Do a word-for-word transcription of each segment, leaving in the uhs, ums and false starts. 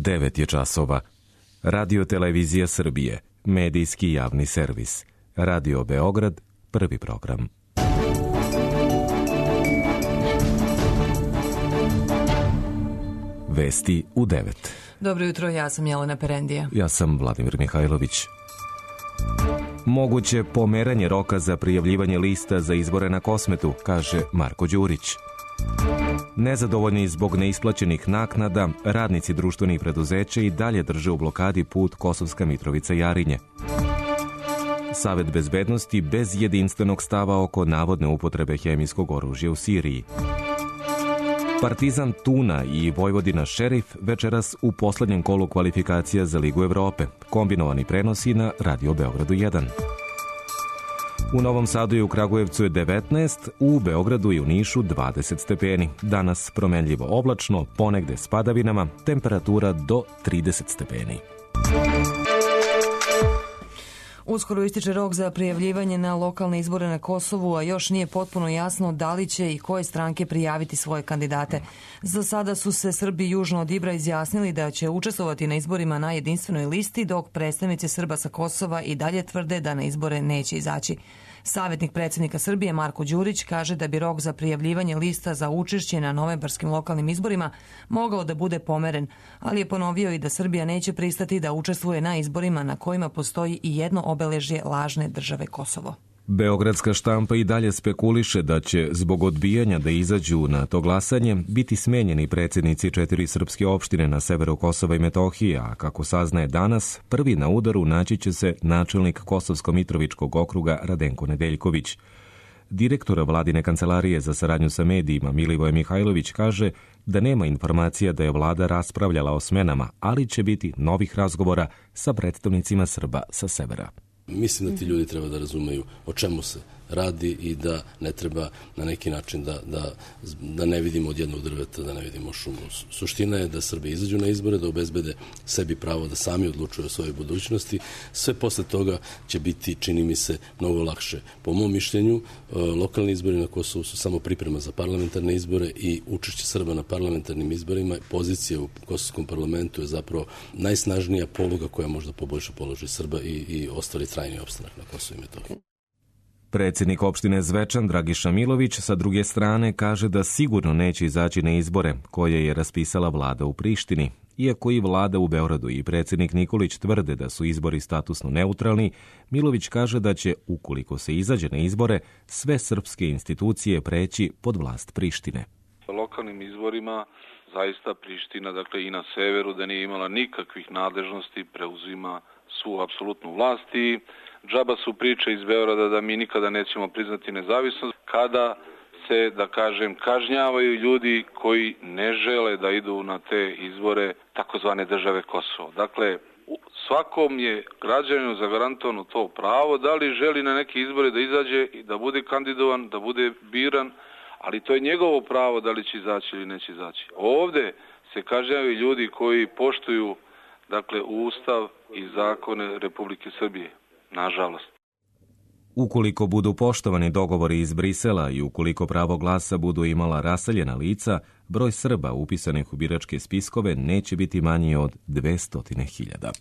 devet je časova. Radio Televizija Srbije, medijski javni servis. Radio Beograd, prvi program. Vesti u devet. Dobro jutro, ja sam Jelena Perendija. Ja sam Vladimir Mihajlović. Moguće pomeranje roka za prijavljivanje lista za izbore na Kosmetu, kaže Marko Đurić. Nezadovoljni zbog neisplaćenih naknada, radnici društvenih preduzeća i dalje drže u blokadi put Kosovska Mitrovica-Jarinje. Savet bezbednosti bez jedinstvenog stava oko navodne upotrebe hemijskog oružja u Siriji. Partizan Tuna i Vojvodina Šerif večeras u poslednjem kolu kvalifikacija za Ligu Evrope. Kombinovani prenosi na Radio Beogradu jedan. U Novom Sadu i u Kragujevcu je devetnaest, u Beogradu i u Nišu dvadeset stepeni. Danas promenljivo oblačno, ponegde s padavinama, temperatura do trideset stepeni. Uskoro ističe rok za prijavljivanje na lokalne izbore na Kosovu, a još nije potpuno jasno da li će i koje stranke prijaviti svoje kandidate. Za sada su se Srbi južno od Ibra izjasnili da će učestvovati na izborima na jedinstvenoj listi, dok predstavnici Srba sa Kosova i dalje tvrde da na izbore neće izaći. Savjetnik predsjednika Srbije Marko Đurić kaže da bi rok za prijavljivanje lista za učešće na novembarskim lokalnim izborima mogao da bude pomeren, ali je ponovio i da Srbija neće pristati da učestvuje na izborima na kojima postoji i jedno obeležje lažne države Kosovo. Beogradska štampa i dalje spekuliše da će zbog odbijanja da izađu na to glasanje biti smenjeni predsjednici četiri srpske opštine na severu Kosova i Metohije, a kako saznaje danas, prvi na udaru naći će se načelnik Kosovsko-Mitrovičkog okruga Radenko Nedeljković. Direktor vladine kancelarije za saradnju sa medijima Milivoje Mihajlović kaže da nema informacija da je vlada raspravljala o smenama, ali će biti novih razgovora sa predstavnicima Srba sa severa. Mislim da ti ljudi treba da razumeju o čemu se radi i da ne treba na neki način da, da, da ne vidimo od jednog drveta, da ne vidimo šumu. Suština je da Srbi izađu na izbore, da obezbede sebi pravo da sami odlučuju o svojoj budućnosti. Sve posle toga će biti, čini mi se, mnogo lakše. Po mom mišljenju, lokalni izbori na Kosovu su samo priprema za parlamentarne izbore i učešće Srba na parlamentarnim izborima. Pozicija u Kosovskom parlamentu je zapravo najsnažnija poluga koja možda poboljša položaj Srba i, i ostvari trajni opstanak na Kosovu i Metohiji. Predsjednik opštine Zvečan Dragiša Milović sa druge strane kaže da sigurno neće izaći na izbore koje je raspisala vlada u Prištini. Iako i vlada u Beogradu i predsjednik Nikolić tvrde da su izbori statusno neutralni, Milović kaže da će, ukoliko se izađe na izbore, sve srpske institucije preći pod vlast Prištine. Sa lokalnim izborima zaista Priština, dakle i na severu, da nije imala nikakvih nadležnosti, preuzima svu apsolutnu vlast i džaba su priče iz Beograda da mi nikada nećemo priznati nezavisnost kada se, da kažem, kažnjavaju ljudi koji ne žele da idu na te izbore takozvane države Kosovo. Dakle, svakom je građaninu zagarantovano to pravo da li želi na neke izbore da izađe i da bude kandidovan, da bude biran, ali to je njegovo pravo da li će izaći ili neće izaći. Ovde se kažnjavaju ljudi koji poštuju, dakle, Ustav i zakone Republike Srbije. Nažalost. Ukoliko budu poštovani dogovori iz Brisela i ukoliko pravo glasa budu imala raseljena lica, broj Srba upisanih u biračke spiskove neće biti manji od dvesta hiljada.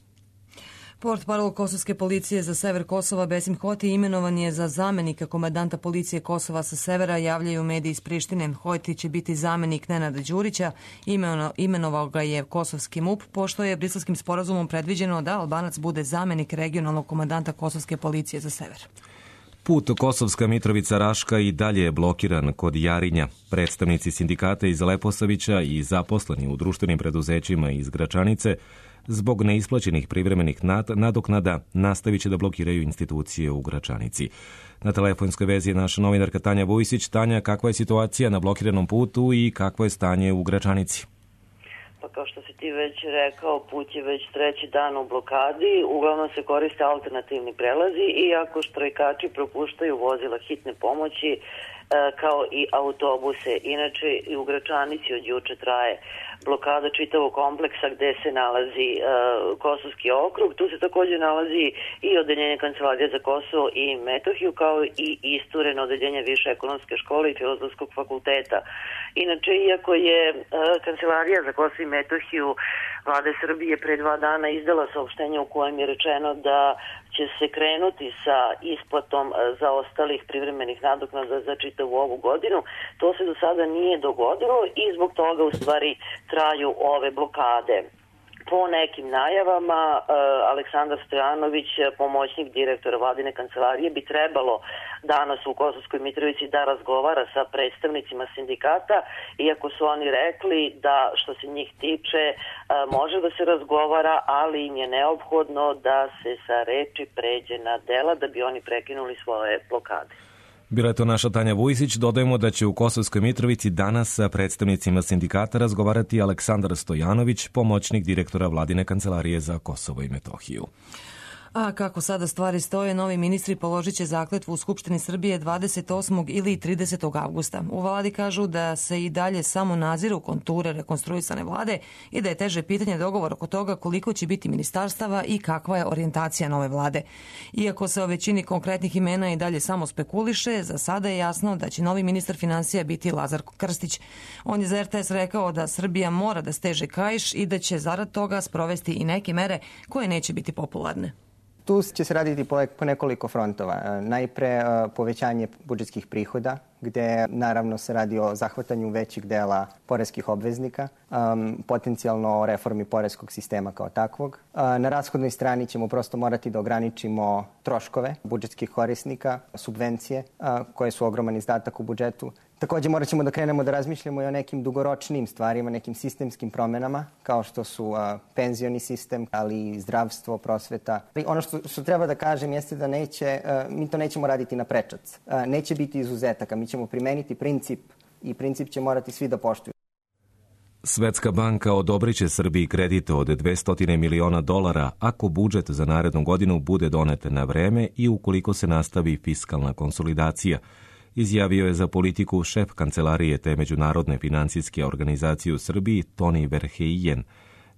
Portparol Kosovske policije za sever Kosova Besim Hoti imenovan je za zamenika komandanta policije Kosova sa severa, javljaju mediji iz Prištine. Hoti će biti zamenik Nenada Đurića, imenovao ga je kosovski M U P, pošto je briselskim sporazumom predviđeno da Albanac bude zamenik regionalnog komandanta Kosovske policije za sever. Put Kosovska Mitrovica-Raška i dalje je blokiran kod Jarinja. Predstavnici sindikata iz Leposavića i zaposleni u društvenim preduzećima iz Gračanice zbog neisplaćenih privremenih nadoknada nastavit će da blokiraju institucije u Gračanici. Na telefonskoj vezi je naša novinarka Tanja Vujsić. Tanja, kakva je situacija na blokiranom putu i kakvo je stanje u Gračanici? Pa kao što si ti već rekao, put je već treći dan u blokadi, uglavnom se koriste alternativni prelazi, iako štrajkači propuštaju vozila hitne pomoći, kao i autobuse. Inače, i u Gračanici od juče traje blokada čitavog kompleksa gde se nalazi uh, Kosovski okrug. Tu se takođe nalazi i odeljenje Kancelarije za Kosovo i Metohiju, kao i istureno odeljenje Više ekonomske škole i Filozofskog fakulteta. Inače, iako je uh, Kancelarija za Kosovo i Metohiju Vlade Srbije pre dva dana izdala saopštenje u kojem je rečeno da će se krenuti sa isplatom zaostalih privremenih nadoknada za čitavu ovu godinu. To se do sada nije dogodilo i zbog toga u stvari traju ove blokade. Po nekim najavama, Aleksandar Stojanović, pomoćnik direktora Vladine kancelarije, bi trebalo danas u Kosovskoj Mitrovici da razgovara sa predstavnicima sindikata, iako su oni rekli da što se njih tiče može da se razgovara, ali im je neophodno da se sa reči pređe na dela da bi oni prekinuli svoje blokade. Bila je to naša Tanja Vujsić. Dodajemo da će u Kosovskoj Mitrovici danas sa predstavnicima sindikata razgovarati Aleksandar Stojanović, pomoćnik direktora Vladine kancelarije za Kosovo i Metohiju. A kako sada stvari stoje, novi ministri položit će zakletvu u Skupštini Srbije dvadeset osmog ili tridesetog avgusta. U vladi kažu da se i dalje samo naziru konture rekonstruisane vlade i da je teže pitanje dogovor oko toga koliko će biti ministarstava i kakva je orijentacija nove vlade. Iako se o većini konkretnih imena i dalje samo spekuliše, za sada je jasno da će novi ministar finansija biti Lazar Krstić. On je za er te es rekao da Srbija mora da steže kaiš i da će zarad toga sprovesti i neke mere koje neće biti popularne. Tu će se raditi po nekoliko frontova. Najpre povećanje budžetskih prihoda, gde naravno se radi o zahvatanju većeg dela poreskih obveznika, um, potencijalno o reformi poreskog sistema kao takvog. Uh, na rashodnoj strani ćemo prosto morati da ograničimo troškove budžetskih korisnika, subvencije, uh, koje su ogroman izdatak u budžetu. Takođe morat ćemo da krenemo da razmišljamo i o nekim dugoročnim stvarima, nekim sistemskim promenama, kao što su uh, penzioni sistem, ali i zdravstvo, prosveta. Ono što, što treba da kažem jeste da neće, uh, mi to nećemo raditi na prečac. Uh, neće biti izuzetaka, mi ćemo primeniti princip i princip će morati svi da poštuju. Svetska banka odobriće Srbiji kredit od dvesta miliona dolara ako budžet za narednu godinu bude donet na vreme i ukoliko se nastavi fiskalna konsolidacija, izjavio je za politiku šef kancelarije te međunarodne finansijske organizacije u Srbiji Toni Verheijen.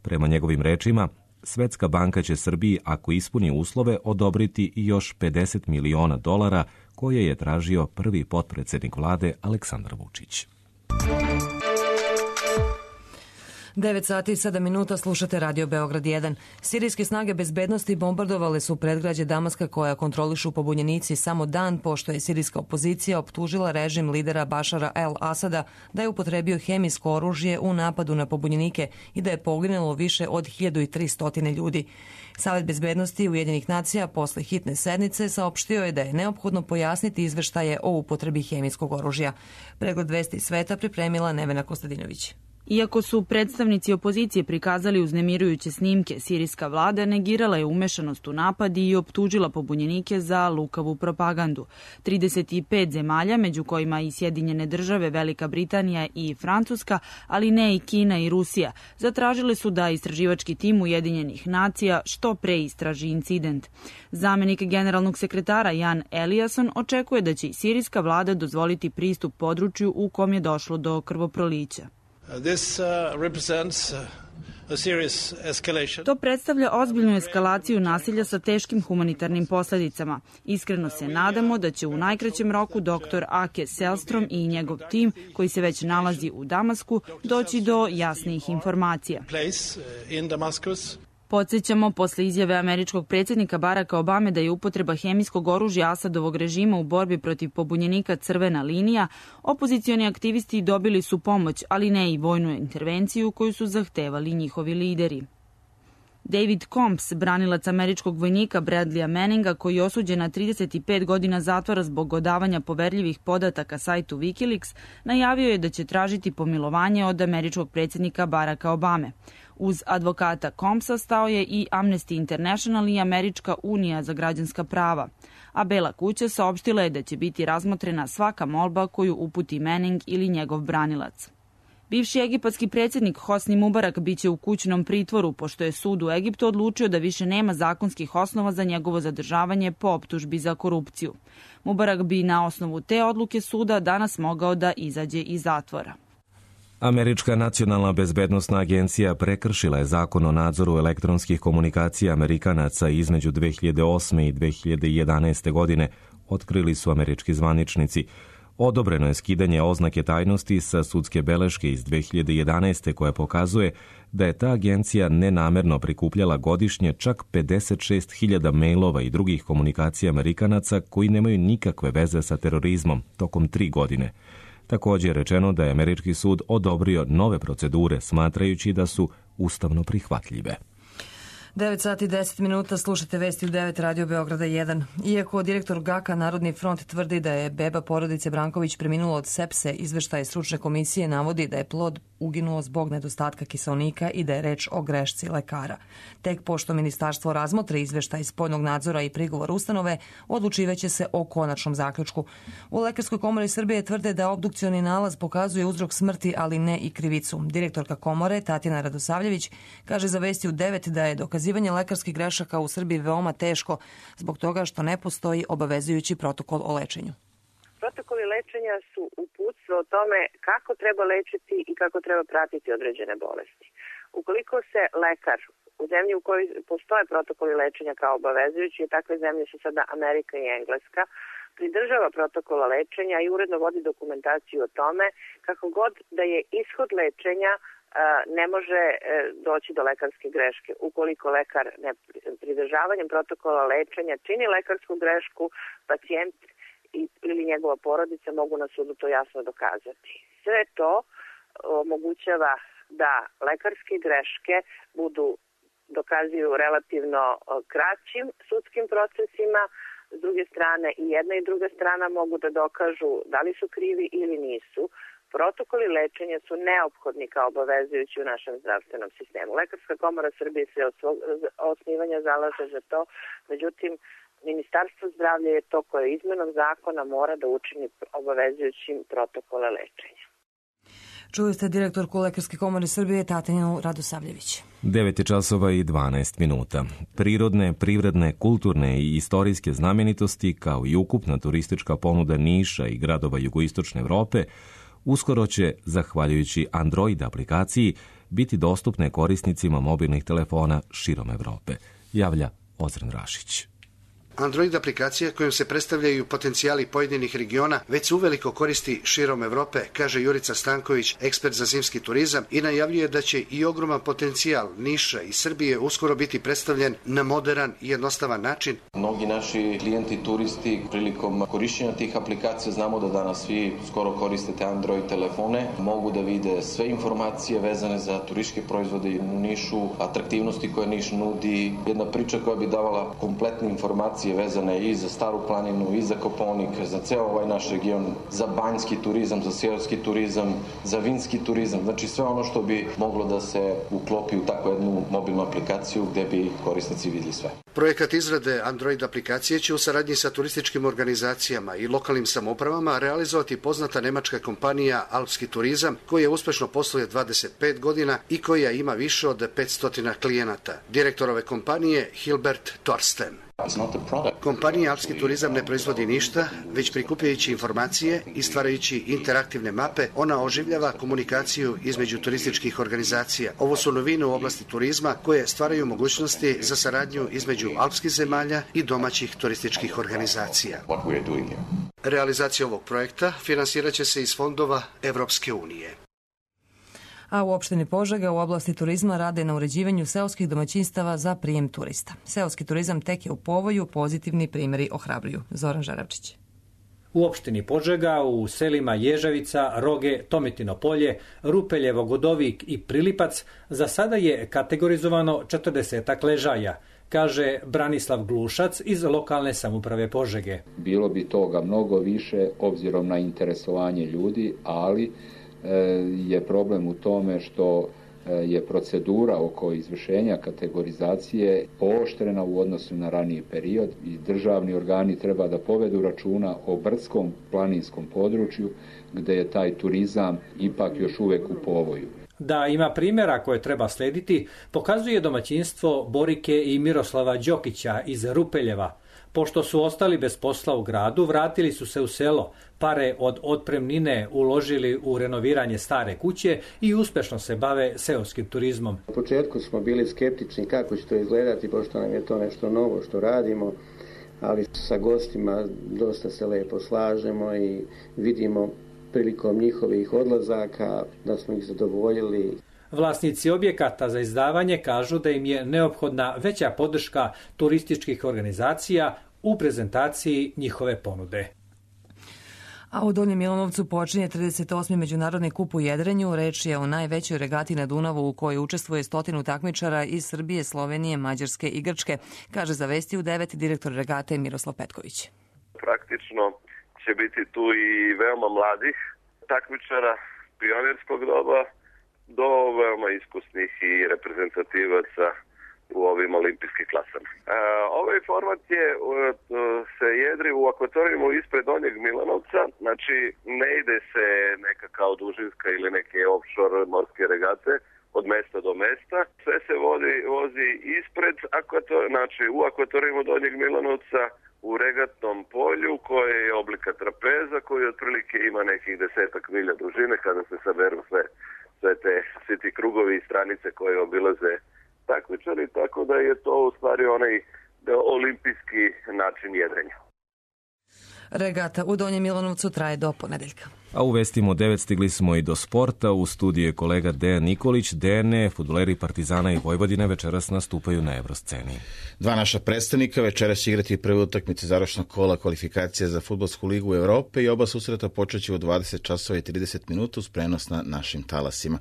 Prema njegovim rečima, Svetska banka će Srbiji, ako ispuni uslove, odobriti još pedeset miliona dolara koje je tražio prvi potpredsednik vlade Aleksandar Vučić. devet sati i sedam minuta, slušate Radio Beograd jedan. Sirijske snage bezbednosti bombardovale su predgrađe Damaska koja kontrolišu pobunjenici samo dan pošto je sirijska opozicija optužila režim lidera Bašara el-Asada da je upotrebio hemijsko oružje u napadu na pobunjenike i da je poginulo više od hiljadu tristo ljudi. Savet bezbednosti Ujedinjenih nacija posle hitne sednice saopštio je da je neophodno pojasniti izveštaje o upotrebi hemijskog oružja. Pregled vesti sveta pripremila Nevena Kostadinović. Iako su predstavnici opozicije prikazali uznemirujuće snimke, sirijska vlada negirala je umešanost u napad i optužila pobunjenike za lukavu propagandu. trideset pet zemalja, među kojima i Sjedinjene države, Velika Britanija i Francuska, ali ne i Kina i Rusija, zatražile su da istraživački tim Ujedinjenih nacija što pre istraži incident. Zamenik generalnog sekretara Jan Eliasson očekuje da će i sirijska vlada dozvoliti pristup području u kom je došlo do krvoprolića. This uh, represents uh, a serious escalation. To predstavlja ozbiljnu eskalaciju nasilja sa teškim humanitarnim posledicama. Iskreno se nadamo da će u najkraćem roku doktor Ake Selstrom i njegov tim, koji se već nalazi u Damasku, doći do jasnijih informacija. Podsjećamo, posle izjave američkog predsjednika Baracka Obame da je upotreba hemijskog oružja Asadovog režima u borbi protiv pobunjenika crvena linija, opozicioni aktivisti dobili su pomoć, ali ne i vojnu intervenciju koju su zahtevali njihovi lideri. David Combs, branilac američkog vojnika Bradleya Manninga, koji je osuđen na trideset pet godina zatvora zbog odavanja poverljivih podataka sajtu Wikileaks, najavio je da će tražiti pomilovanje od američkog predsjednika Baracka Obame. Uz advokata Combsa stao je i Amnesty International i Američka unija za građanska prava, a Bela kuća saopštila je da će biti razmotrena svaka molba koju uputi Manning ili njegov branilac. Bivši egipatski predsjednik Hosni Mubarak biće u kućnom pritvoru, pošto je sud u Egiptu odlučio da više nema zakonskih osnova za njegovo zadržavanje po optužbi za korupciju. Mubarak bi na osnovu te odluke suda danas mogao da izađe iz zatvora. Američka nacionalna bezbednosna agencija prekršila je zakon o nadzoru elektronskih komunikacija Amerikanaca između dve hiljade osme i dve hiljade jedanaeste. godine, otkrili su američki zvaničnici. Odobreno je skidanje oznake tajnosti sa sudske beleške iz dve hiljade jedanaeste. koja pokazuje da je ta agencija nenamerno prikupljala godišnje čak pedeset šest hiljada mailova i drugih komunikacija Amerikanaca koji nemaju nikakve veze sa terorizmom tokom tri godine. Također je rečeno da je američki sud odobrio nove procedure, smatrajući da su ustavno prihvatljive. devet sati i deset minuta, slušate vesti u devet Radio Beograda jedan. Iako direktor Gaka Narodni front tvrdi da je beba porodice Branković preminula od sepse, izveštaj stručne komisije navodi da je plod uginuo zbog nedostatka kiseonika i da je reč o grešci lekara. Tek pošto ministarstvo razmotre izveštaj spoljnog nadzora i prigovor ustanove, odlučivaće se o konačnom zaključku. U Lekarskoj komori Srbije tvrde da obdukcioni nalaz pokazuje uzrok smrti, ali ne i krivicu. Direktorka komore Tatjana Radosavljević kaže za vesti u devet da je dokazivanje lekarskih grešaka u Srbiji veoma teško zbog toga što ne postoji obavezujući protokol o lečenju. Protokoli lečenja su uputstvo o tome kako treba lečiti i kako treba pratiti određene bolesti. Ukoliko se lekar u zemlji u kojoj postoje protokoli lečenja kao obavezujući, i takve zemlje su sada Amerika i Engleska, pridržava protokola lečenja i uredno vodi dokumentaciju o tome, kako god da je ishod lečenja ne može doći do lekarske greške. Ukoliko lekar ne pridržavanjem protokola lečenja čini lekarsku grešku, pacijent ili njegova porodica mogu na sudu to jasno dokazati. Sve to omogućava da lekarske greške budu dokazuju relativno kraćim sudskim procesima. S druge strane, i jedna i druga strana mogu da dokažu da li su krivi ili nisu. Protokoli lečenja su neophodni kao obavezujući u našem zdravstvenom sistemu. Lekarska komora Srbije se od svog osnivanja zalaže za to, međutim, Ministarstvo zdravlja je to koje izmenom zakona mora da učini obavezujućim protokole lečenja. Čuli ste direktorku Lekarske komore Srbije Tatjanu Radosavljević. devet časova i dvanaest minuta. Prirodne, privredne, kulturne i istorijske znamenitosti, kao i ukupna turistička ponuda Niša i gradova jugoistočne Evrope, uskoro će, zahvaljujući Android aplikaciji, biti dostupne korisnicima mobilnih telefona širom Evrope, javlja Ozren Rašić. Android aplikacija kojom se predstavljaju potencijali pojedinih regiona već se uveliko koristi širom Evrope, kaže Jurica Stanković, ekspert za zimski turizam, i najavljuje da će i ogroman potencijal Niša i Srbije uskoro biti predstavljen na moderan i jednostavan način. Mnogi naši klijenti, turisti, prilikom korišćenja tih aplikacija, znamo da danas svi skoro koristite Android telefone, mogu da vide sve informacije vezane za turističke proizvode u Nišu, atraktivnosti koje Niš nudi, jedna priča koja bi davala kompletne informacije vezane i za Staru planinu, i za Kopaonik, za ceo ovaj naš region, za banjski turizam, za seoski turizam, za vinski turizam, znači sve ono što bi moglo da se uklopi u takvu jednu mobilnu aplikaciju gde bi korisnici videli sve. Projekat izrade Android aplikacije će u saradnji sa turističkim organizacijama i lokalnim samoupravama realizovati poznata nemačka kompanija Alpski turizam, koja uspešno posluje dvadeset pet godina i koja ima više od petsto klijenata. Direktor ove kompanije Hilbert Torsten. Kompanija Alpski turizam ne proizvodi ništa, već prikupljajući informacije i stvarajući interaktivne mape, ona oživljava komunikaciju između turističkih organizacija. Ovo su novine u oblasti turizma koje stvaraju mogućnosti za saradnju između alpskih zemalja i domaćih turističkih organizacija. Realizacija ovog projekta finansiraće se iz fondova Evropske unije. A u opštini Požega u oblasti turizma rade na uređivanju seoskih domaćinstava za prijem turista. Seoski turizam tek je u povoju, pozitivni primjeri ohrabruju. Zoran Žaravčić. U opštini Požega, u selima Ježavica, Roge, Tomitino polje, Rupeljevo, Godovik i Prilipac za sada je kategorizovano četrdesetak ležaja, kaže Branislav Glušac iz lokalne samouprave Požege. Bilo bi toga mnogo više obzirom na interesovanje ljudi, ali je problem u tome što je procedura oko izvršenja kategorizacije pooštrena u odnosu na raniji period i državni organi treba da povedu računa o brdskom planinskom području gde je taj turizam ipak još uvek u povoju. Da ima primjera koje treba slediti, pokazuje domaćinstvo Borike i Miroslava Đokića iz Rupeljeva. Pošto su ostali bez posla u gradu, vratili su se u selo, pare od otpremnine uložili u renoviranje stare kuće i uspešno se bave seoskim turizmom. U početku smo bili skeptični kako će to izgledati, pošto nam je to nešto novo što radimo, ali sa gostima dosta se lepo slažemo i vidimo prilikom njihovih odlazaka da smo ih zadovoljili. Vlasnici objekata za izdavanje kažu da im je neophodna veća podrška turističkih organizacija u prezentaciji njihove ponude. A u Donjem Milanovcu počinje trideset osmi Međunarodni kup u jedrenju. Reč je o najvećoj regati na Dunavu u kojoj učestvuje stotinu takmičara iz Srbije, Slovenije, Mađarske i Grčke, kaže za Vesti u devet direktor regate Miroslav Petković. Praktično će biti tu i veoma mladih takmičara pionirskog doba do veoma iskusnih i reprezentativaca u ovim olimpijskih klasama. E, ovaj format je, se jedri u akvatorijumu ispred Donjeg Milanovca, znači ne ide se neka kao dužinska ili neke offshore morske regate od mesta do mesta. Sve se vodi, vozi ispred akvator, znači u akvatorijumu Donjeg Milanovca u regatnom polju koje je oblika trapeza koji otprilike ima nekih desetak milja dužine kada se saberu sve, sve te, svi ti krugovi i stranice koje obilaze takmičari, tako da je to u stvari onaj olimpijski način jedrenja. Regata u Donjem Milanovcu traje do ponedeljka. A u vestima devet stigli smo i do sporta. U studiju je kolega Dejan Nikolić. Dejane, fudbaleri Partizana i Vojvodine večeras nastupaju na Evrosceni. Dva naša predstavnika večeras će igrati prve utakmice završnog kola kvalifikacija za Fudbalsku ligu Evrope i oba susreta počeće u dvadeset časova i trideset minuta uz prenos na našim talasima.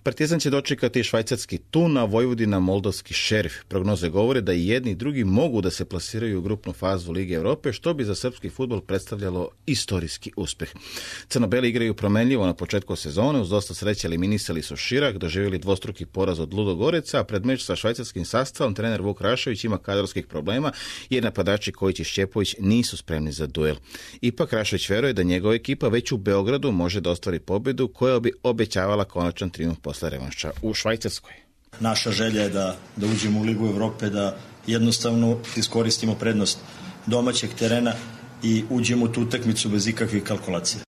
Partizan će dočekati švajcarski Thun, a Vojvodina moldovski Šerif. Prognoze govore da i jedni i drugi mogu da se plasiraju u grupnu fazu Lige Evrope, što bi za srpski fudbal predstavljalo istorijski uspeh. Crno-beli igraju promenljivo na početku sezone, uz dosta sreće eliminisali su Širak, doživjeli dvostruki poraz od Ludogoreca, a pred meč sa švajcarskim sastavom trener Vuk Rašović ima kadrovskih problema jer napadači Kojić i Šćepović nisu spremni za duel. Ipak Rašović veruje da njegova ekipa već u Beogradu može da ostvari pobedu koja bi obećavala konačan trijumf posle revanša u Švajcarskoj. Naša želja je da, da uđemo u Ligu Evrope, da jednostavno iskoristimo prednost domaćeg terena i uđemo u tu utakmicu bez ikakvih kalkulacija.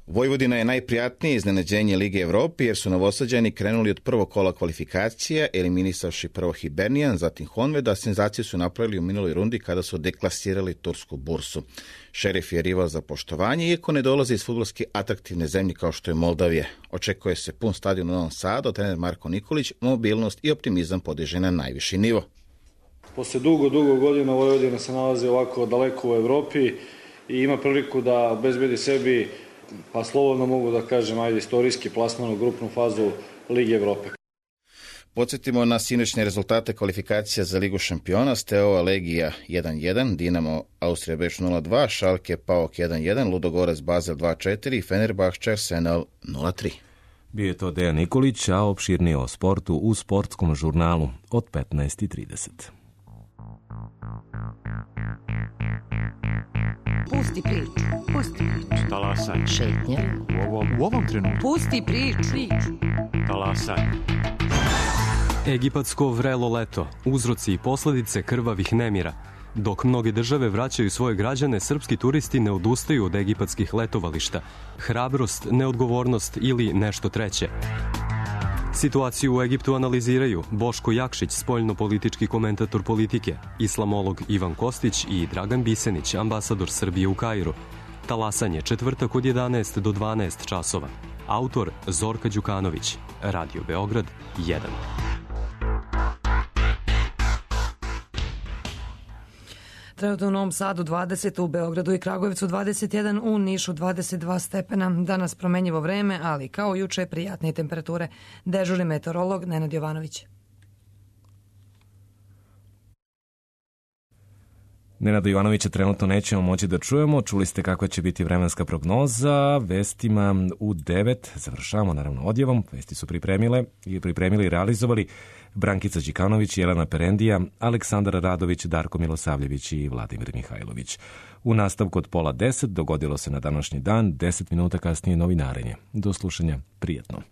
Vojvodina je najprijatnije iznenađenje Lige Evrope jer su Novosađani krenuli od prvog kola kvalifikacija, eliminisavši prvo Hibernian, zatim Honved, a senzaciju su napravili u minuloj rundi kada su deklasirali tursku bursu. Šerif je rival za poštovanje, iako ne dolazi iz fudbalski atraktivne zemlje kao što je Moldavija. Očekuje se pun stadion u Novom Sadu, a trener Marko Nikolić mobilnost i optimizam podiže na najviši nivo. Posle dugo, dugo godina Vojvodina se nalazi ovako daleko u Evropi i ima priliku da obezbedi sebi, pa slobodno mogu da kažem, ajde, istorijski plasman u grupnu fazu Lige Evrope. Podsjetimo na sinoćne rezultate kvalifikacija za Ligu šampiona. Steaua Legija jedan jedan, Dinamo Austrija Beč nula dva, Schalke Paok jedan jedan, Ludogorac Basel dva četiri, Fenerbahče Arsenal nula tri. Bio je to Dejan Nikolić, a opširnije o sportu u sportskom žurnalu od petnaest i trideset. Pusti priču, pusti priču. Talasaj. Šetnja. U ovom, u ovom trenutku. Pusti priču. Talasaj. Egipatsko vrelo leto, uzroci i posledice krvavih nemira. Dok mnoge države vraćaju svoje građane, srpski turisti ne odustaju od egipatskih letovališta. Hrabrost, neodgovornost ili nešto treće. Situaciju u Egiptu analiziraju Boško Jakšić, spoljno-politički komentator Politike, islamolog Ivan Kostić i Dragan Bisenić, ambasador Srbije u Kairu. Talasanje četvrtak od jedanaest do dvanaest časova. Autor Zorka Đukanović. Radio Beograd jedan. Trenutno u Novom Sadu dvadeset, u Beogradu i Kragujevcu dvadeset jedan, u Nišu dvadeset dva stepena. Danas promenjivo vreme, ali kao juče prijatne temperature. Dežurni meteorolog Nenad Jovanović. Nenada Jovanovića trenutno nećemo moći da čujemo. Čuli ste kakva će biti vremenska prognoza. Vestima u devet završavamo naravno odjevom. Vesti su pripremile i pripremili i realizovali Brankica Đikanović, Jelena Perendija, Aleksandar Radović, Darko Milosavljević i Vladimir Mihajlović. U nastavku od pola deset dogodilo se na današnji dan, deset minuta kasnije novinarenje. Do slušanja, prijetno.